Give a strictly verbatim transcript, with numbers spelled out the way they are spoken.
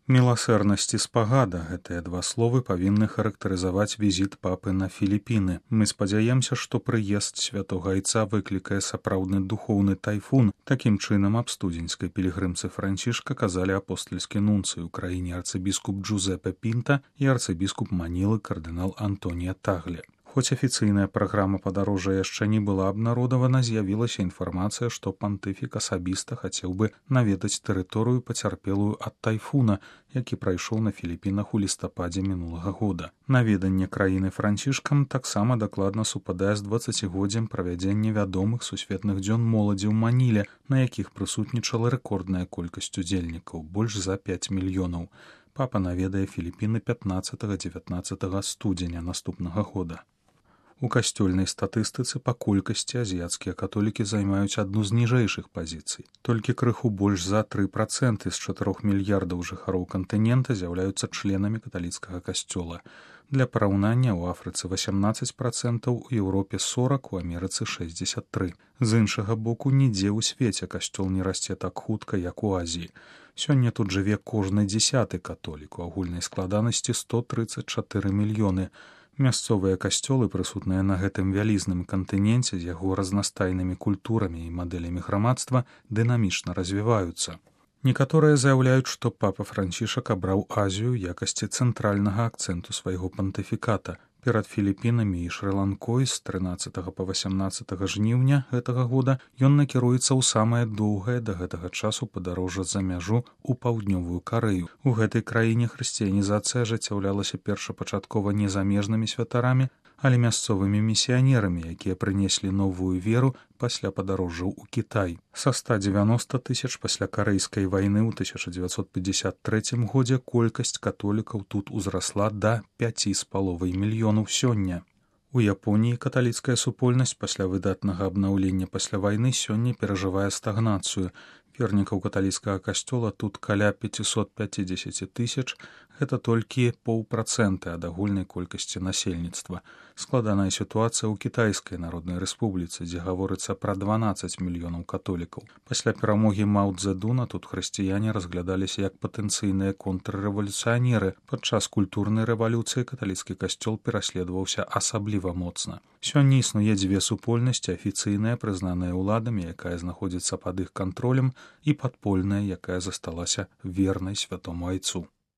Міласэрнасць і спагада — гэтыя два словы павінны характарызаваць візіт папы на Філіпіны. Мы спадзяемся, што прыезд святога айца выклікае сапраўдны духоўны тайфун. Такім чынам аб студзеньскай пілігрымцы Францішка казалі апостальскі нунцый у краіне арцыбіскуп Джузепе Пінта і арцыбіскуп Манілы кардынал Антонія Тагле. Хоць афіцыйная праграма падарожжа яшчэ не была абнародавана, з'явілася інфармацыя, што пантыфік асабіста хацеў бы наведаць тэрыторыю пацярпелую ад тайфуна, які прайшоў на Філіпінах у лістападзе мінулага года. Наведанне краіны Францішкам таксама дакладна супадае з дваццацігоддзям правядзення вядомых сусветных дзён моладзі ў Маніле, на якіх прысутнічала рэкордная колькасць удзельнікаў — больш за пяць мільёнаў. Папа наведае Філіпіны пятнаццатага-дзевятнаццатага студзеня наступнага года. У касцёльнай статыстыцы па колькасці азіяцкія католікі займаюць адну з ніжэйшых пазіцый. Толькі крыху больш за тры працэнты з чатырох мільярдаў жыхароў кантынента з'яўляюцца членамі каталіцкага касцёла. Для параўнання, у Афрыцы васямнаццаць працэнтаў, у Еўропе сорак, у Амерыцы шэсцьдзесят тры. З іншага боку, нідзе ў свеце касцёл не расце так хутка, як у Азіі. Сёння тут жыве кожны дзясяты католік, у агульнай складанасці сто трыццаць чатыры мільёны. Мясцовыя касцёлы, прысутныя на гэтым вялізным кантыненце з яго разнастайнымі культурамі і мадэлямі грамадства, дынамічна развіваюцца. Некаторыя заяўляюць, што папа Францішак абраў Азію ў якасці цэнтральнага акцэнту свайго пантыфіката. Перад Філіпінамі і Шры-Ланкой з трынаццатага па васямнаццатага жніўня гэтага года ён накіруецца ў самае доўгае да гэтага часу падарожжа за мяжу ў паўднёвую Карэю. У гэтай краіне хрысціянізацыя ажыццяўлялася першапачаткова не замежнымі святарамі, але мясцовымі місіянерамі, якія прынеслі новую веру пасля падарожжаў у Кітай. Са ста дзевяноста тысяч пасля Карэйскай вайны ў тысяча дзевяцьсот пятьдесят трэцім годзе колькасць католікаў тут узрасла да пяці з паловай мільёнаў сёння. У Японіі каталіцкая супольнасць пасля выдатнага абнаўлення пасля вайны сёння перажывае стагнацыю. Вернікаў каталіцкага касцёла тут каля пяцьсот пяцьдзесят тысяч, гэта толькі паўпрацэнты ад агульнай колькасці насельніцтва. Складаная сітуацыя ў Кітайскай Народнай Рэспубліцы, дзе гаворыцца пра дванаццаць мільёнаў католікаў. Пасля перамогі Мао Цзэдуна тут хрысціяне разглядаліся як патэнцыйныя контррэвалюцыянеры. Падчас культурнай рэвалюцыі каталіцкі касцёл пераследаваўся асабліва моцна. Сёння існуе дзве супольнасці: афіцыйная, прызнаная ўладамі, якая знаходзіцца пад іх кантролем, і падпольная, якая засталася вернай святому айцу.